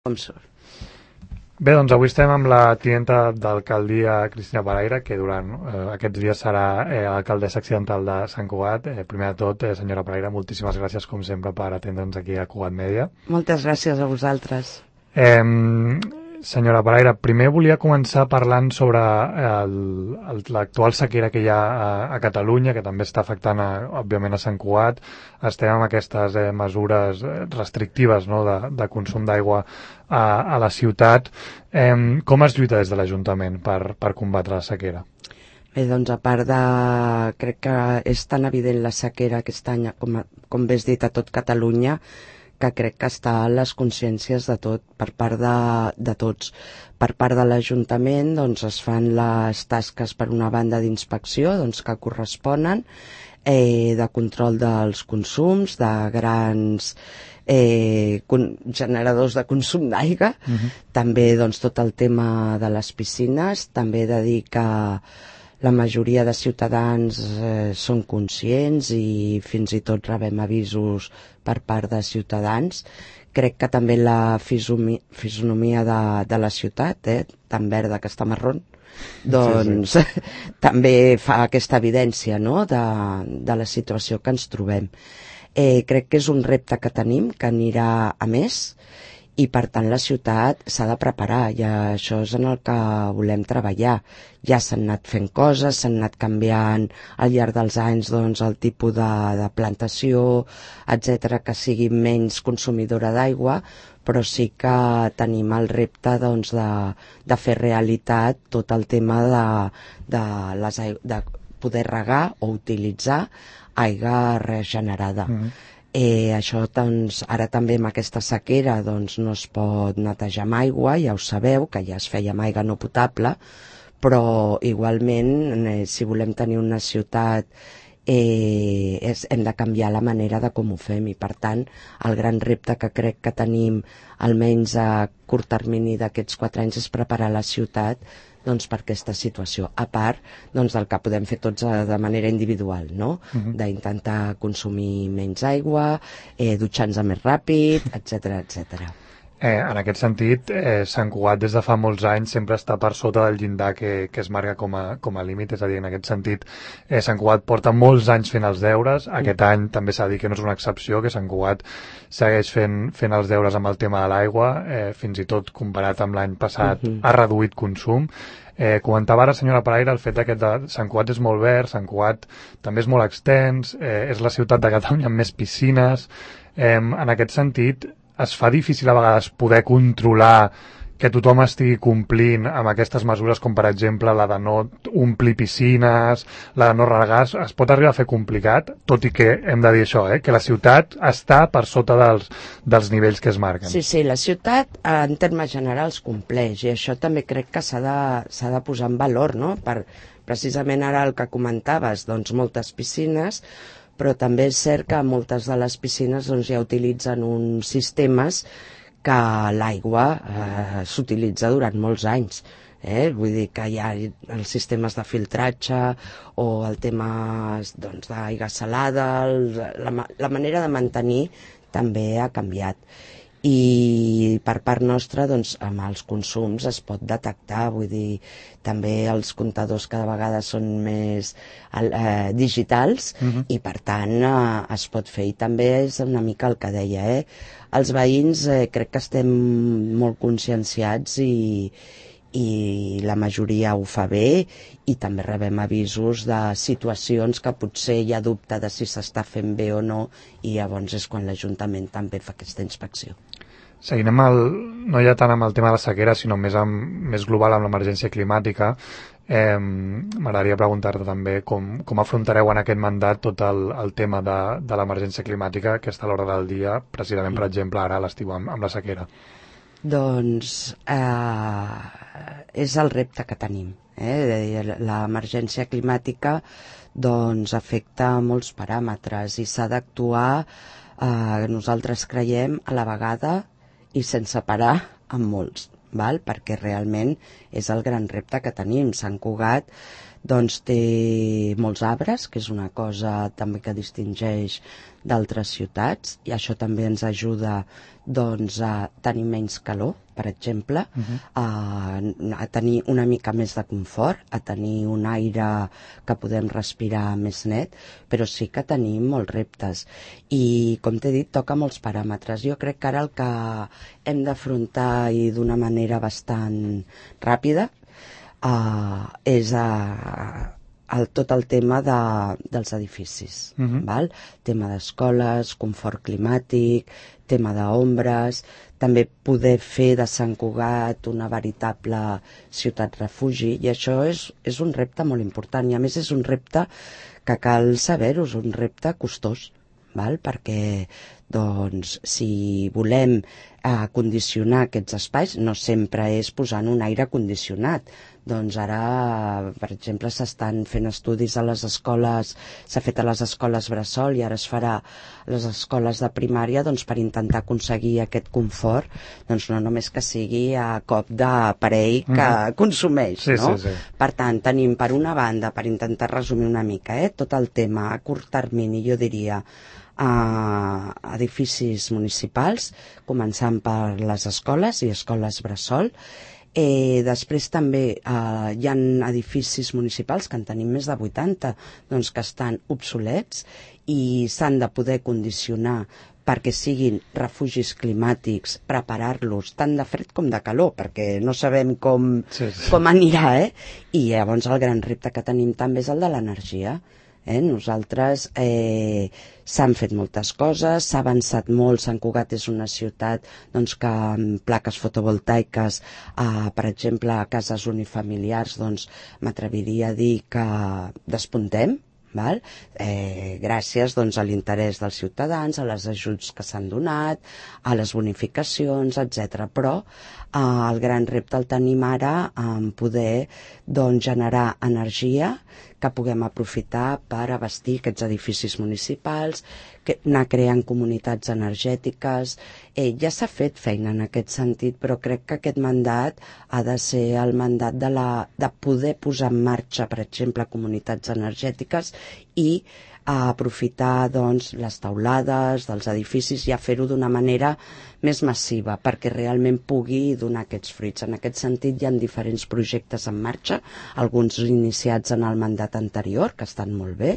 com surt. Bé, doncs avui estem amb la tinenta d'alcaldia Cristina Paraire, que durant aquests dies serà alcaldessa accidental de Sant Cugat. Primer de tot, senyora Paraire, moltíssimes gràcies, com sempre, per atendre'ns aquí a Cugat Mèdia. Moltes gràcies a vosaltres. Senyora Paraire, primer volia començar parlant sobre l'actual sequera que hi ha a Catalunya, que també està afectant, òbviament, a Sant Cugat. Estem amb aquestes mesures restrictives, no?, de consum d'aigua a la ciutat. Com es lluita des de l'Ajuntament per combatre la sequera? Bé, doncs a part de... Crec que és tan evident la sequera aquest any, com bé has dit, a tot Catalunya, que crec que està a les consciències de tot, per part de tots. Per part de l'Ajuntament doncs, es fan les tasques, per una banda, d'inspecció, doncs, que corresponen, de control dels consums, de grans generadors de consum d'aigua, també doncs, tot el tema de les piscines, també de dir que la majoria de ciutadans són conscients i fins i tot rebem avisos per part de ciutadans. Crec que també la fisonomia de la ciutat, tan verda que està marrón, doncs sí. També fa aquesta evidència, no?, de la situació que ens trobem. Crec que és un repte que tenim, que anirà a més, i per tant la ciutat s'ha de preparar, i això és en el que volem treballar. Ja s'han anat fent coses, s'han anat canviant al llarg dels anys doncs, el tipus de plantació, etc, que sigui menys consumidora d'aigua, però sí que tenim el repte doncs, de fer realitat tot el tema de poder regar o utilitzar aigua regenerada. Això doncs, ara també amb aquesta sequera doncs, no es pot netejar amb aigua, ja ho sabeu, que ja es feia amb aigua no potable, però igualment si volem tenir una ciutat hem de canviar la manera de com ho fem, i per tant el gran repte que crec que tenim almenys a curt termini d'aquests 4 anys és preparar la ciutat doncs, per aquesta situació, a part doncs, del que podem fer tots de manera individual, no? D'intentar consumir menys aigua, dutxar-nos més ràpid, etc etc. En aquest sentit, Sant Cugat des de fa molts anys sempre està per sota del llindar que es marca com a límit, és a dir, en aquest sentit Sant Cugat porta molts anys fent els deures, aquest any també s'ha de dir que no és una excepció, que Sant Cugat segueix fent els deures amb el tema de l'aigua, fins i tot comparat amb l'any passat ha reduït consum. Comentava ara, senyora Paraire, el fet que Sant Cugat és molt verd, Sant Cugat també és molt extens, és la ciutat de Catalunya amb més piscines. En aquest sentit, es fa difícil a vegades poder controlar que tothom estigui complint amb aquestes mesures, com per exemple la de no omplir piscines, la de no regar. Es pot arribar a fer complicat, tot i que hem de dir això, que la ciutat està per sota dels nivells que es marquen. Sí, la ciutat en termes generals compleix, i això també crec que s'ha de posar en valor, no? Per precisament ara el que comentaves, doncs moltes piscines, però també és cert que moltes de les piscines doncs, ja utilitzen uns sistemes que l'aigua s'utilitza durant molts anys. Vull dir que hi ha els sistemes de filtratge o el tema doncs, d'aigua salada, la manera de mantenir també ha canviat. I per part nostra doncs, amb els consums es pot detectar, vull dir, també els comptadors cada vegada són més digitals i per tant es pot fer, i també és una mica el que deia, els veïns crec que estem molt conscienciats i la majoria ho fa bé, i també rebem avisos de situacions que potser hi ha dubte de si s'està fent bé o no, i llavors és quan l'Ajuntament també fa aquesta inspecció. Seguint no ja tant amb el tema de la sequera, sinó més global amb l'emergència climàtica, m'agradaria preguntar-te també com afrontareu en aquest mandat tot el tema de l'emergència climàtica, que està a l'hora del dia, precisament, per exemple, ara a l'estiu amb la sequera. Doncs és el repte que tenim. L'emergència climàtica doncs, afecta molts paràmetres i s'ha d'actuar, nosaltres creiem, a la vegada i sense parar amb molts, perquè realment és el gran repte que tenim. Sant Cugat doncs té molts arbres, que és una cosa també que distingeix d'altres ciutats, i això també ens ajuda doncs, a tenir menys calor, per exemple, a tenir una mica més de confort, a tenir un aire que podem respirar més net, però sí que tenim molts reptes. I, com t'he dit, toca molts paràmetres. Jo crec que ara el que hem d'afrontar i d'una manera bastant ràpida és tot el tema dels edificis, val? Tema d'escoles, confort climàtic, tema d'ombres, també poder fer de Sant Cugat una veritable ciutat refugi, i això és un repte molt important, i a més és un repte que cal saber-ho, és un repte costós, val? Perquè doncs, si volem condicionar aquests espais, no sempre és posant un aire condicionat. Doncs ara, per exemple, s'estan fent estudis a les escoles, s'ha fet a les escoles bressol i ara es farà a les escoles de primària, doncs, per intentar aconseguir aquest confort, doncs no només que sigui a cop d'aparell que consumeix, no? Sí. Per tant, tenim per una banda, per intentar resumir una mica, tot el tema a curt termini, jo diria, edificis municipals, començant per les escoles i escoles bressol. Després també hi ha edificis municipals, que en tenim més de 80, doncs, que estan obsolets i s'han de poder condicionar perquè siguin refugis climàtics, preparar-los tant de fred com de calor, perquè no sabem com anirà, I llavors el gran repte que tenim també és el de l'energia. Nosaltres s'han fet moltes coses, s'ha avançat molt. Sant Cugat és una ciutat doncs, que amb plaques fotovoltaiques, per exemple, a cases unifamiliars, doncs, m'atreviria a dir que despuntem, val? Gràcies doncs, a l'interès dels ciutadans, a les ajuts que s'han donat, a les bonificacions, etc. Però el gran repte el tenim ara en poder doncs, generar energia que puguem aprofitar per abastir aquests edificis municipals, anar creant comunitats energètiques. Ja s'ha fet feina en aquest sentit, però crec que aquest mandat ha de ser el mandat de poder posar en marxa, per exemple, comunitats energètiques i aprofitar doncs, les teulades dels edificis i a fer-ho d'una manera més massiva perquè realment pugui donar aquests fruits. En aquest sentit hi ha diferents projectes en marxa, alguns iniciats en el mandat anterior, que estan molt bé,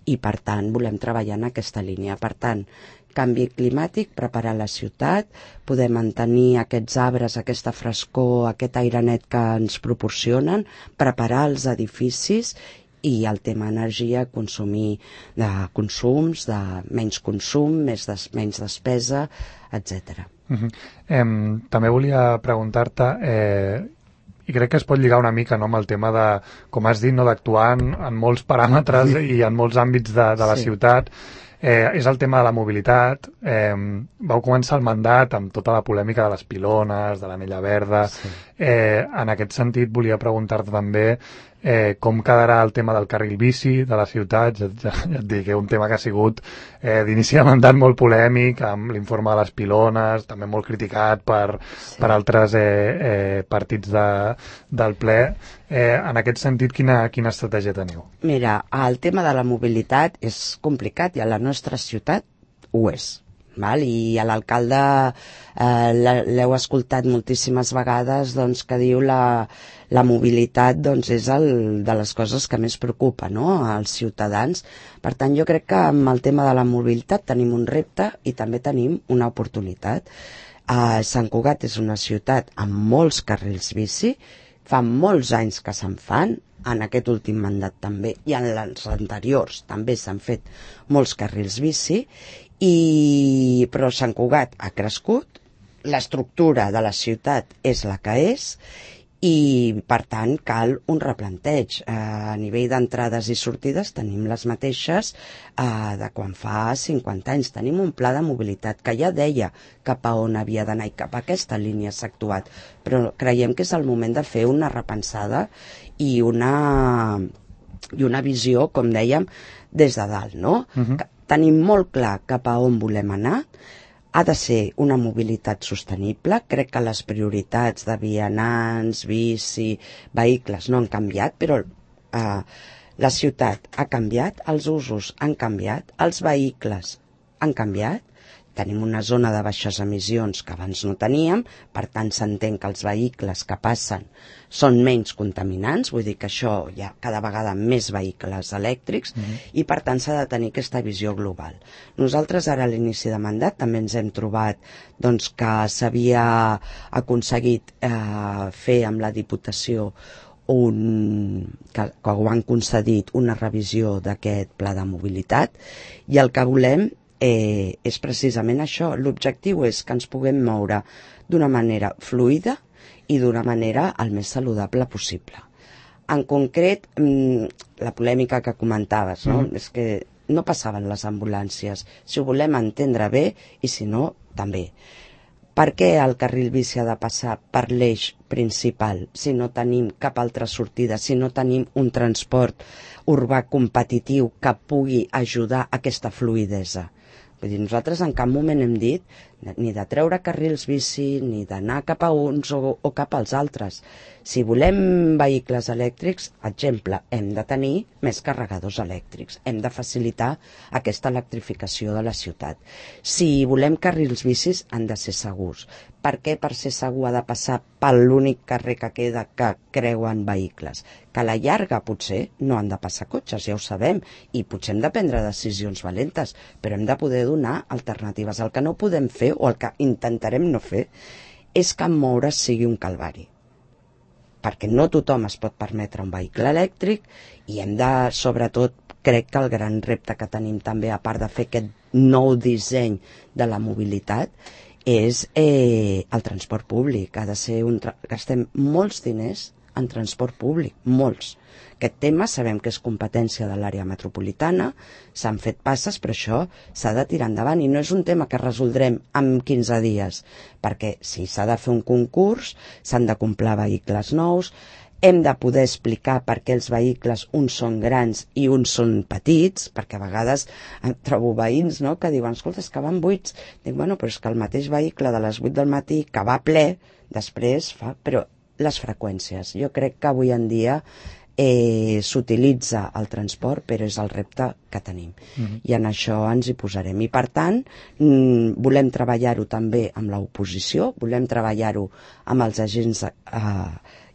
i per tant volem treballar en aquesta línia. Per tant, canvi climàtic, preparar la ciutat, poder mantenir aquests arbres, aquesta frescor, aquest aire net que ens proporcionen, preparar els edificis i el tema energia, consumir de consums, de menys consum, menys despesa, etc. També volia preguntar-te, i crec que es pot lligar una mica amb el tema de, com has dit, d'actuar en molts paràmetres i en molts àmbits de la ciutat. És el tema de la mobilitat. Vau començar el mandat amb tota la polèmica de les pilones, de l'anella verda. En aquest sentit, volia preguntar-te també com quedarà el tema del carril bici de la ciutat. Ja et dic que un tema que ha sigut d'inici de mandat molt polèmic, amb l'informe de les pilones, també molt criticat per altres partits del ple. En aquest sentit, quina estratègia teniu? Mira, el tema de la mobilitat és complicat i a la nostra ciutat ho és. Val? I a l'alcalde l'heu escoltat moltíssimes vegades doncs, que diu la mobilitat doncs, és de les coses que més preocupa, no?, als ciutadans. Per tant, jo crec que amb el tema de la mobilitat tenim un repte i també tenim una oportunitat. Sant Cugat és una ciutat amb molts carrils bici, fa molts anys que se'n fan, en aquest últim mandat també, i en els anteriors també s'han fet molts carrils bici, però Sant Cugat ha crescut, l'estructura de la ciutat és la que és i, per tant, cal un replanteig. A nivell d'entrades i sortides tenim les mateixes de quan fa 50 anys. Tenim un pla de mobilitat que ja deia cap a on havia d'anar i cap a aquesta línia s'ha actuat, però creiem que és el moment de fer una repensada i una visió, com dèiem, des de dalt, no? Tenim molt clar cap a on volem anar. Ha de ser una mobilitat sostenible. Crec que les prioritats de vianants, bici, vehicles no han canviat, però La ciutat ha canviat, els usos han canviat, els vehicles han canviat, tenim una zona de baixes emissions que abans no teníem, per tant s'entén que els vehicles que passen són menys contaminants, vull dir que això hi ha cada vegada més vehicles elèctrics i per tant s'ha de tenir aquesta visió global. Nosaltres ara a l'inici de mandat també ens hem trobat doncs, que s'havia aconseguit fer amb la Diputació que ho han concedit una revisió d'aquest pla de mobilitat i el que volem és precisament això. L'objectiu és que ens puguem moure d'una manera fluida i d'una manera el més saludable possible. En concret, la polèmica que comentaves, no? És que no passaven les ambulàncies. Si ho volem entendre bé i si no, també. Per què el carril bici ha de passar per l'eix principal si no tenim cap altra sortida, si no tenim un transport urbà competitiu que pugui ajudar a aquesta fluidesa? Vull dir, nosaltres en cap moment hem dit ni de treure carrils bici, ni d'anar cap a uns o cap als altres. Si volem vehicles elèctrics, exemple, hem de tenir més carregadors elèctrics, hem de facilitar aquesta electrificació de la ciutat. Si volem carrils bicis, han de ser segurs. Per què per ser segur ha de passar per l'únic carrer que queda que creuen vehicles? Que a la llarga potser no han de passar cotxes, ja ho sabem, i potser hem de prendre decisions valentes, però hem de poder donar alternatives. El que no podem fer, o el que intentarem no fer, és que moure's sigui un calvari. Perquè no tothom es pot permetre un vehicle elèctric i hem de, sobretot, crec que el gran repte que tenim també, a part de fer aquest nou disseny de la mobilitat, és el transport públic. Ha de ser gastem molts diners en transport públic, molts. Aquest tema sabem que és competència de l'àrea metropolitana, s'han fet passes, però això s'ha de tirar endavant i no és un tema que resoldrem en 15 dies, perquè si s'ha de fer un concurs, s'han de comprar vehicles nous, hem de poder explicar per què els vehicles uns són grans i uns són petits, perquè a vegades trobo veïns, no?, que diuen, escolta, és que van buits. Dic, bueno, però és que el mateix vehicle de les 8 del matí que va ple, després fa... Però les freqüències, jo crec que avui en dia s'utilitza el transport, però és el repte que tenim. I en això ens hi posarem. I per tant, volem treballar-ho també amb l'oposició, volem treballar-ho amb els agents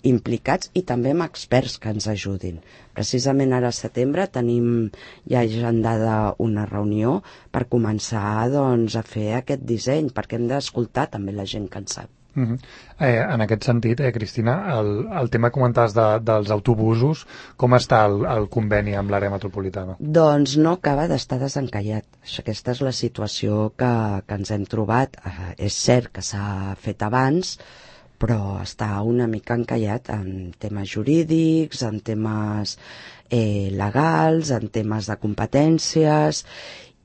implicats i també amb experts que ens ajudin. Precisament ara al setembre tenim ja agendada una reunió per començar doncs, a fer aquest disseny, perquè hem d'escoltar també la gent que en sap. En aquest sentit, Cristina, el tema que comentaves dels autobusos, com està el conveni amb l'àrea metropolitana? Doncs no acaba d'estar desencallat. Aquesta és la situació que ens hem trobat. És cert que s'ha fet abans, però està una mica encallat en temes jurídics, en temes legals, en temes de competències,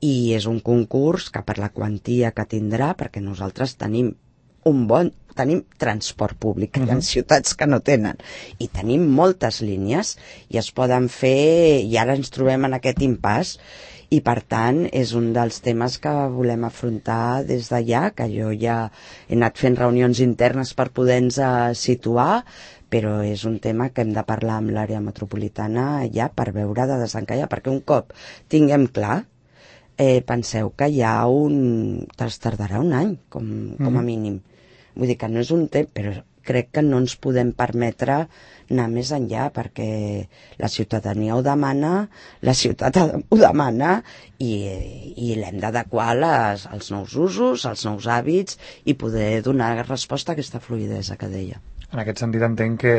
i és un concurs que per la quantia que tindrà, perquè nosaltres tenim tenim transport públic, que hi ha ciutats que no tenen, i tenim moltes línies i es poden fer, i ara ens trobem en aquest impàs, i per tant és un dels temes que volem afrontar des d'allà, que jo ja he anat fent reunions internes per poder-nos situar, però és un tema que hem de parlar amb l'àrea metropolitana ja per veure de desencallar, perquè un cop tinguem clar, penseu que hi ha tardarà un any com a mínim. Vull dir que no és un temps, però crec que no ens podem permetre anar més enllà, perquè la ciutadania ho demana, la ciutat ho demana i l'hem d'adequar als nous usos, als nous hàbits i poder donar resposta a aquesta fluidesa que deia. En aquest sentit entenc que,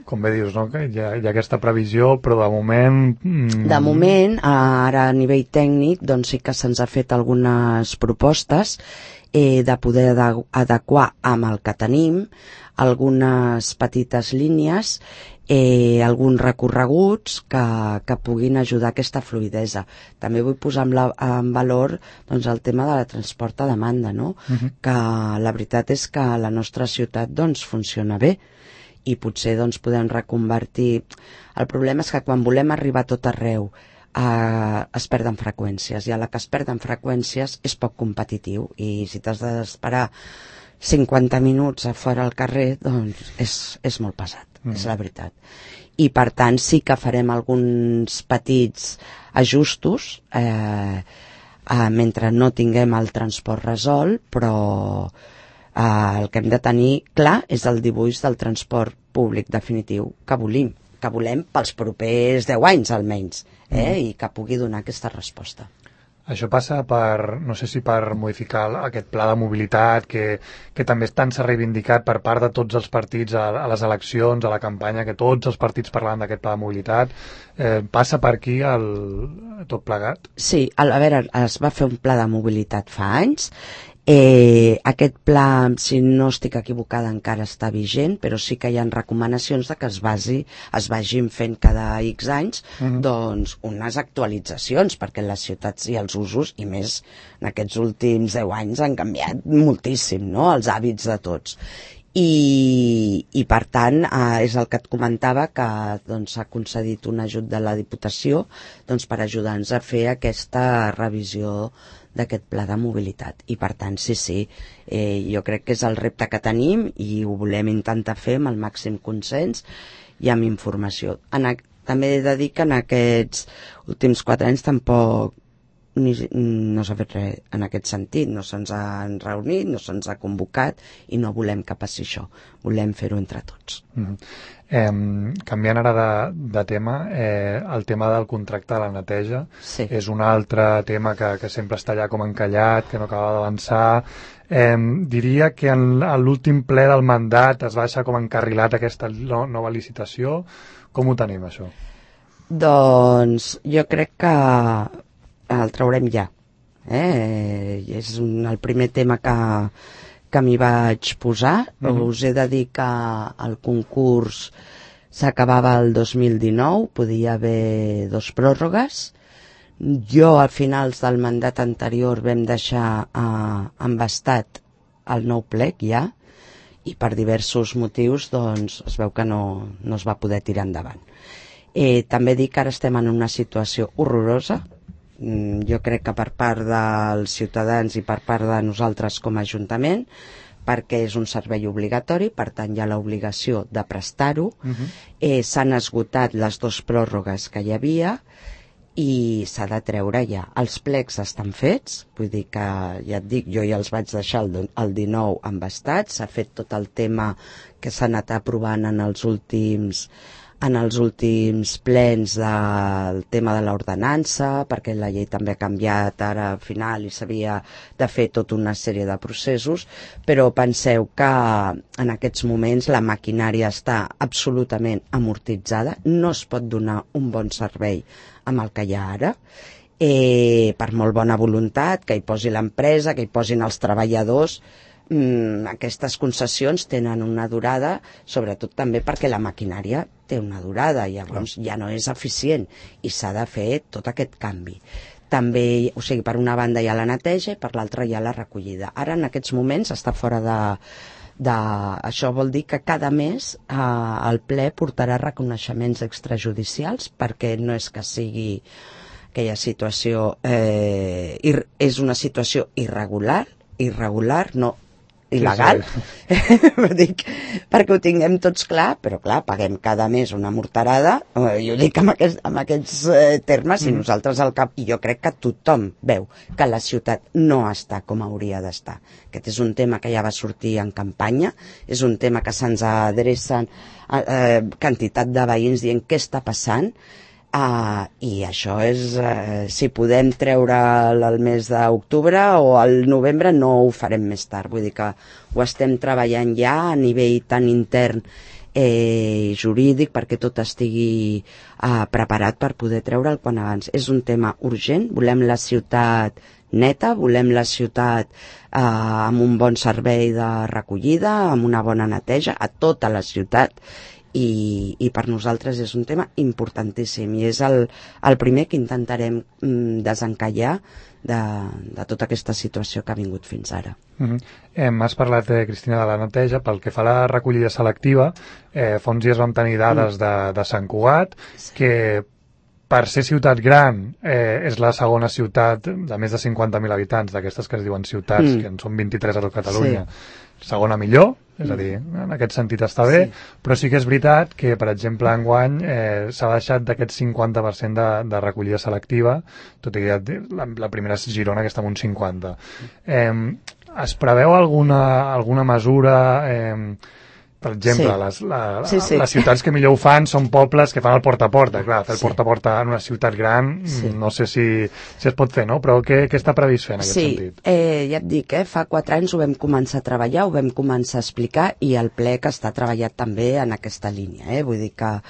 com bé dius, no? Que hi ha aquesta previsió, però de moment... De moment, ara a nivell tècnic, doncs sí que se'ns ha fet algunes propostes de poder adequar amb el que tenim algunes petites línies, alguns recorreguts que puguin ajudar a aquesta fluidesa. També vull posar en valor doncs, el tema de la transport a demanda, no? Que la veritat és que la nostra ciutat doncs, funciona bé i potser doncs, podem reconvertir. El problema és que quan volem arribar a tot arreu es perden freqüències, i a la que es perden freqüències és poc competitiu, i si t'has d'esperar 50 minuts a fora al carrer, doncs és molt pesat, és la veritat. I per tant sí que farem alguns petits ajustos mentre no tinguem el transport resolt, però el que hem de tenir clar és el dibuix del transport públic definitiu que volem pels propers 10 anys almenys, i que pugui donar aquesta resposta. Això passa no sé si per modificar aquest pla de mobilitat que també tant s'ha reivindicat per part de tots els partits a les eleccions, a la campanya, que tots els partits parlaven d'aquest pla de mobilitat. Passa per aquí tot plegat? Sí, a veure, es va fer un pla de mobilitat fa anys. Aquest pla, si no estic equivocada, encara està vigent, però sí que hi ha recomanacions de que es vagin fent cada X anys doncs unes actualitzacions, perquè les ciutats i els usos, i més en aquests últims 10 anys, han canviat moltíssim, no?, els hàbits de tots. I per tant, és el que et comentava, que s'ha concedit un ajut de la Diputació per ajudar-nos a fer aquesta revisió d'aquest pla de mobilitat. I per tant, sí, jo crec que és el repte que tenim i ho volem intentar fer amb el màxim consens i amb informació. També he de dir que en aquests últims 4 anys tampoc no s'ha fet res en aquest sentit, no se'ns han reunit, no se'ns ha convocat i no volem que passi això, volem fer-ho entre tots. Canviant ara de tema, el tema del contracte de la neteja és un altre tema que sempre està allà com encallat, que no acaba d'avançar. Diria que en l'últim ple del mandat es va deixar com encarrilat aquesta nova licitació. Com ho tenim, això? Doncs jo crec que el traurem ja. És el primer tema que m'hi vaig posar. Us he de dir que el concurs s'acabava el 2019, podia haver 2 pròrrogues. Jo, a finals del mandat anterior, vam deixar embastat el nou plec ja, i per diversos motius es veu que no es va poder tirar endavant. També dic que ara estem en una situació horrorosa. Jo crec que per part dels ciutadans i per part de nosaltres com a Ajuntament, perquè és un servei obligatori, per tant hi ha l'obligació de prestar-ho. S'han esgotat les 2 pròrrogues que hi havia i s'ha de treure ja. Els plecs estan fets, vull dir que, ja et dic, jo ja els vaig deixar el 19 embastats, s'ha fet tot el tema que s'ha anat aprovant en els últims plens del tema de l'ordenança, perquè la llei també ha canviat ara al final i s'havia de fer tota una sèrie de processos, però penseu que en aquests moments la maquinària està absolutament amortitzada, no es pot donar un bon servei amb el que hi ha ara, per molt bona voluntat, que hi posi l'empresa, que hi posin els treballadors. Aquestes concessions tenen una durada, sobretot també perquè la maquinària té una durada, llavors ja no és eficient i s'ha de fer tot aquest canvi. També, o sigui, per una banda hi ha la neteja i per l'altra hi ha la recollida. Ara en aquests moments està fora això vol dir que cada mes el ple portarà reconeixements extrajudicials, perquè no és que sigui aquella situació, és una situació irregular, no il·legal, dic, perquè ho tinguem tots clar, però clar, paguem cada mes una morterada, jo dic amb aquests termes, i nosaltres al cap, i jo crec que tothom veu que la ciutat no està com hauria d'estar. Aquest és un tema que ja va sortir en campanya, és un tema que se'ns adrecen quantitat de veïns dient què està passant, i això és, si podem treure el mes d'octubre o el novembre, no ho farem més tard, vull dir que ho estem treballant ja a nivell tan intern jurídic perquè tot estigui preparat per poder treure'l quan abans. És un tema urgent, volem la ciutat neta, volem la ciutat amb un bon servei de recollida, amb una bona neteja a tota la ciutat, i per nosaltres és un tema importantíssim i és el primer que intentarem desencallar de tota aquesta situació que ha vingut fins ara. Has parlat, Cristina, de la neteja. Pel que fa a la recollida selectiva, fa uns dies vam tenir dades de Sant Cugat, que per ser ciutat gran és la segona ciutat de més de 50.000 habitants, d'aquestes que es diuen ciutats, que en són 23 a tot Catalunya. segona millor, és a dir, en aquest sentit està bé, però sí que és veritat que, per exemple, enguany s'ha deixat d'aquest 50% de recollida selectiva, tot i que la primera és Girona, que està en un 50. Es preveu alguna mesura... Per exemple, les ciutats que millor ho fan són pobles que fan el porta a porta. Clar, fer el porta a porta en una ciutat gran no sé si es pot fer, no? Però què està previst fer en aquest sentit? Ja et dic, fa 4 anys ho vam començar a treballar, ho vam començar a explicar i el ple que està treballat també en aquesta línia. Vull dir que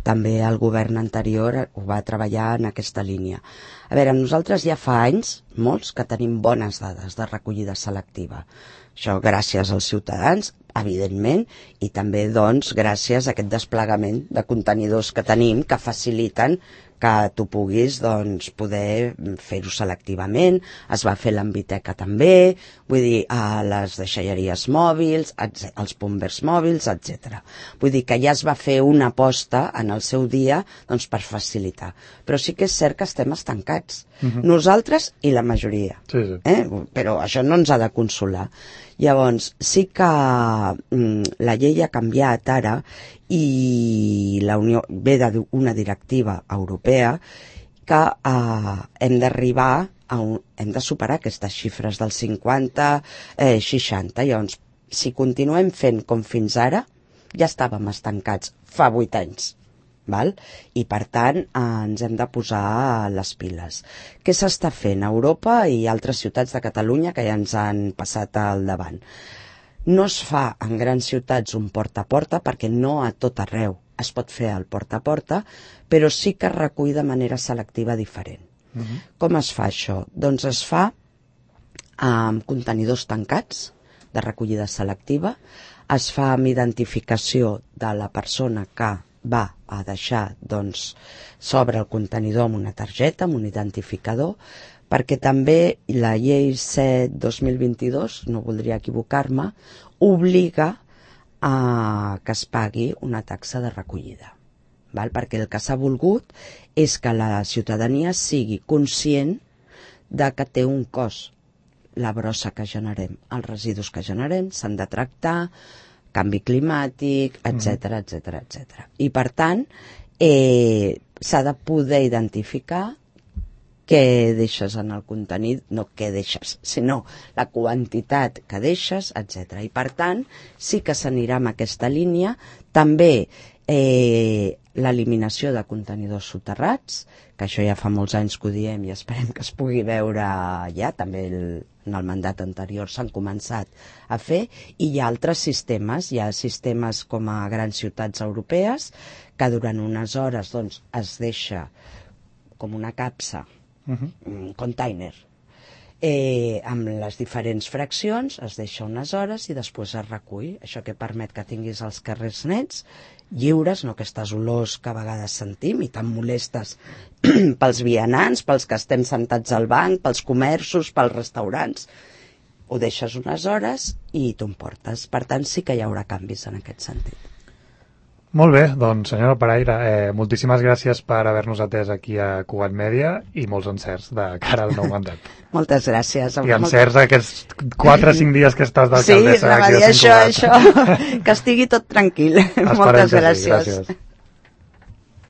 també el govern anterior ho va treballar en aquesta línia. A veure, nosaltres ja fa anys, molts, que tenim bones dades de recollida selectiva. Això gràcies als ciutadans, evidentment, i també, doncs, gràcies a aquest desplegament de contenidors que tenim que faciliten que tu puguis, doncs, poder fer-ho selectivament. Es va fer l'Enviteca també, vull dir, a les deixalleries mòbils, als bombers mòbils, etc. Vull dir que ja es va fer una aposta en el seu dia, doncs, per facilitar. Però sí que és cert que estem estancats. Nosaltres i la majoria. Però això no ens ha de consolar. Llavors, sí que la llei ha canviat ara i la Unió ve d'una directiva europea que hem d'arribar hem de superar aquestes xifres del 50-60. Llavors, si continuem fent com fins ara, ja estàvem estancats fa 8 anys. Val? I per tant ens hem de posar les piles. Què s'està fent a Europa i altres ciutats de Catalunya que ja ens han passat al davant? No es fa en grans ciutats un porta a porta perquè no a tot arreu es pot fer el porta a porta, però sí que es recull de manera selectiva diferent. Com es fa això? Doncs es fa amb contenidors tancats de recollida selectiva, es fa amb identificació de la persona que va a deixar, doncs, sobre el contenidor amb una targeta, amb un identificador, perquè també la llei 7/2022, no voldria equivocar-me, obliga a que es pagui una taxa de recollida. Perquè el que s'ha volgut és que la ciutadania sigui conscient de que té un cost. La brossa que generem, els residus que generem, s'han de tractar, canvi climàtic, etc. I, per tant, s'ha de poder identificar què deixes en el contenidor, no què deixes, sinó la quantitat que deixes, etc. I, per tant, sí que s'anirà amb aquesta línia. També l'eliminació de contenidors soterrats, que això ja fa molts anys que ho diem i esperem que es pugui veure ja, també en el mandat anterior s'han començat a fer, i hi ha altres sistemes, hi ha sistemes com a grans ciutats europees que durant unes hores doncs, es deixa com una capsa, un container, amb les diferents fraccions, es deixa unes hores i després es recull. Això que permet que tinguis els carrers nets, lliures, no aquestes olors que a vegades sentim i tan molestes pels vianants, pels que estem sentats al banc, pels comerços, pels restaurants. Ho deixes unes hores i t'ho emportes. Per tant, sí que hi haurà canvis en aquest sentit. Molt bé, doncs senyora Paraire, moltíssimes gràcies per haver-nos atès aquí a Cugat Mèdia i molts encerts de cara al nou mandat. Moltes gràcies. I encerts aquests 4 o 5 dies que estàs d'alcaldessa. Sí, això, que estigui tot tranquil. Moltes gràcies.